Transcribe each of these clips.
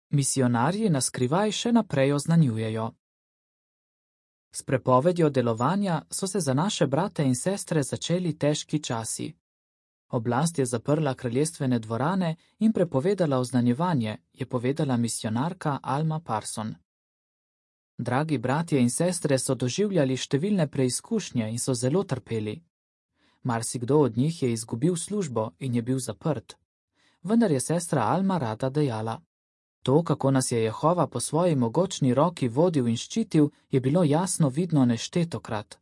Misionarji na skrivaj še naprej oznanjujejo. S prepovedjo delovanja so se za naše brate in sestre začeli težki časi. Oblast je zaprla kraljestvene dvorane in prepovedala oznanjevanje, je povedala misionarka Alma Parson. Dragi bratje in sestre so doživljali številne preizkušnje in so zelo trpeli. Marsikdo od njih je izgubil službo in je bil zaprt. Vendar je sestra Alma rada dejala: to, kako nas je Jehova po svoji mogočni roki vodil in ščitil, je bilo jasno vidno neštetokrat.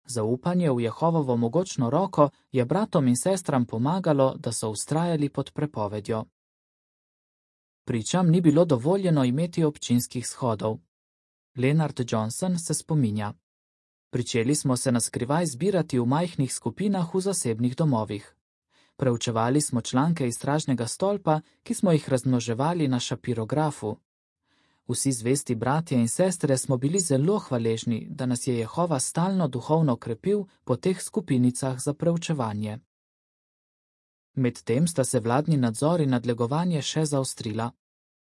Zaupanje v Jehovovo mogočno roko je bratom in sestram pomagalo, da so vztrajali pod prepovedjo. Pričam ni bilo dovoljeno imeti občinskih shodov. Leonard Johnson se spominja: pričeli smo se na skrivaj zbirati v majhnih skupinah v zasebnih domovih. Preučevali smo članke iz stražnega stolpa, ki smo jih razmnoževali na šapirografu. Vsi zvesti bratje in sestre smo bili zelo hvaležni, da nas je Jehova stalno duhovno krepil po teh skupinicah za preučevanje. Medtem sta se vladni nadzor in nadlegovanje še zaostrila,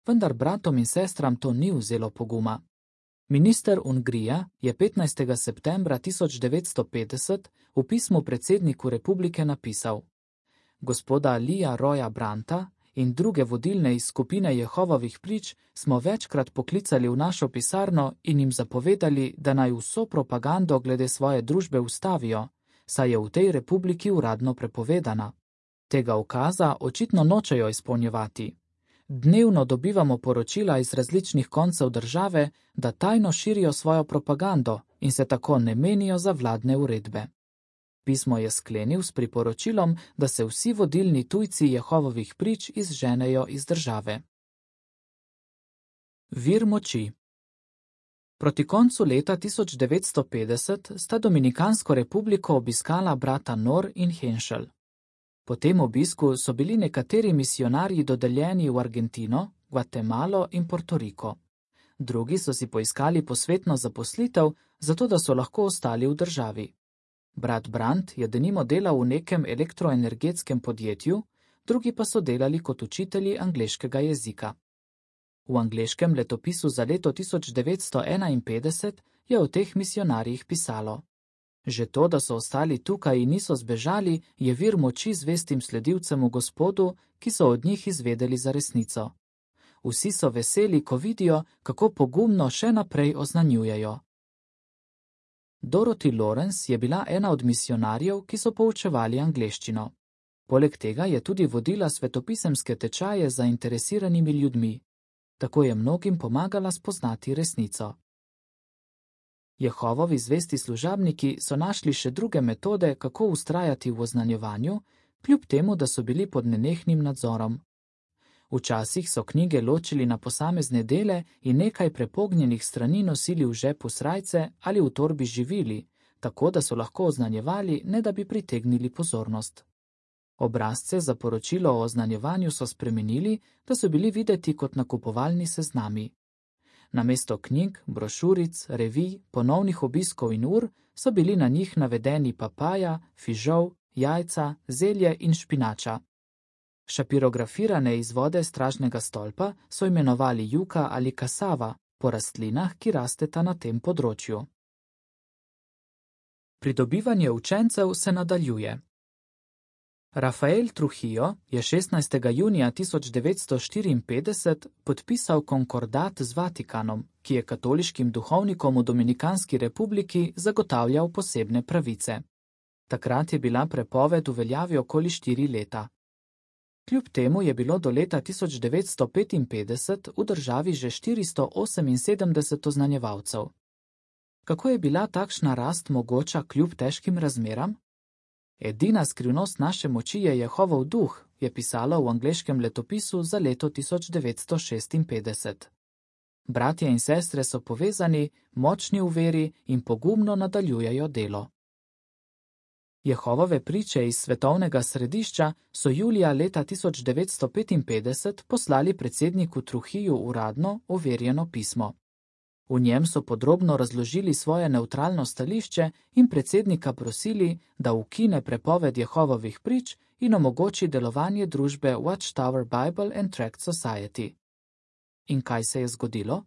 vendar bratom in sestram to ni vzelo poguma. Minister Ungrija je 15. septembra 1950 v pismu predsedniku republike napisal: gospoda Lija Roja Branta in druge vodilne iz skupine Jehovovih prič smo večkrat poklicali v našo pisarno in jim zapovedali, da naj vso propagando glede svoje družbe ustavijo, saj je v tej republiki uradno prepovedana. Tega ukaza očitno nočejo izpolnjevati. Dnevno dobivamo poročila iz različnih koncev države, da tajno širijo svojo propagando in se tako ne menijo za vladne uredbe. Pismo je sklenil s priporočilom, da se vsi vodilni tujci Jehovovih prič izženejo iz države. Vir moči. Proti koncu leta 1950 sta Dominikansko republiko obiskala brata Nor in Henschel. Po tem obisku so bili nekateri misionarji dodeljeni v Argentino, Gvatemalo in Portoriko. Drugi so si poiskali posvetno zaposlitev, zato da so lahko ostali v državi. Brat Brandt je denimo delal v nekem elektroenergetskem podjetju, drugi pa so delali kot učitelji angleškega jezika. V angleškem letopisu za leto 1951 je o teh misionarjih pisalo: že to, da so ostali tukaj in niso zbežali, je vir moči zvestim sledilcem v Gospodu, ki so od njih izvedeli za resnico. Vsi so veseli, ko vidijo, kako pogumno še naprej oznanjujejo. Dorothy Lawrence je bila ena od misionarjev, ki so poučevali angleščino. Poleg tega je tudi vodila svetopisemske tečaje z zainteresiranimi ljudmi. Tako je mnogim pomagala spoznati resnico. Jehovovi zvesti služabniki so našli še druge metode, kako vztrajati v oznanjevanju, kljub temu, da so bili pod nenehnim nadzorom. Včasih so knjige ločili na posamezne dele in nekaj prepognjenih strani nosili v žepu srajce ali v torbi živili, tako da so lahko oznanjevali, ne da bi pritegnili pozornost. Obrazce za poročilo o oznanjevanju so spremenili, da so bili videti kot nakupovalni seznami. Namesto knjig, brošuric, revij, ponovnih obiskov in ur so bili na njih navedeni papaja, fižol, jajca, zelje in špinača. Šapirografirane izvode stražnega stolpa so imenovali juka ali kasava, po rastlinah, ki rasteta na tem področju. Pridobivanje učencev se nadaljuje. Rafael Trujillo je 16. junija 1954 podpisal konkordat z Vatikanom, ki je katoliškim duhovnikom v Dominikanski republiki zagotavljal posebne pravice. Takrat je bila prepoved v veljavi okoli 4 leta. Kljub temu je bilo do leta 1955 v državi že 478 oznanjevalcev. Kako je bila takšna rast mogoča kljub težkim razmeram? Edina skrivnost naše moči je Jehovov duh, je pisalo v angleškem letopisu za leto 1956. Bratje in sestre so povezani, močni v veri in pogumno nadaljujejo delo. Jehovove priče iz svetovnega središča so julija leta 1955 poslali predsedniku Trujillu uradno overjeno pismo. V njem so podrobno razložili svoje nevtralno stališče in predsednika prosili, da ukine prepoved Jehovovih prič in omogoči delovanje družbe Watchtower Bible and Tract Society. In kaj se je zgodilo?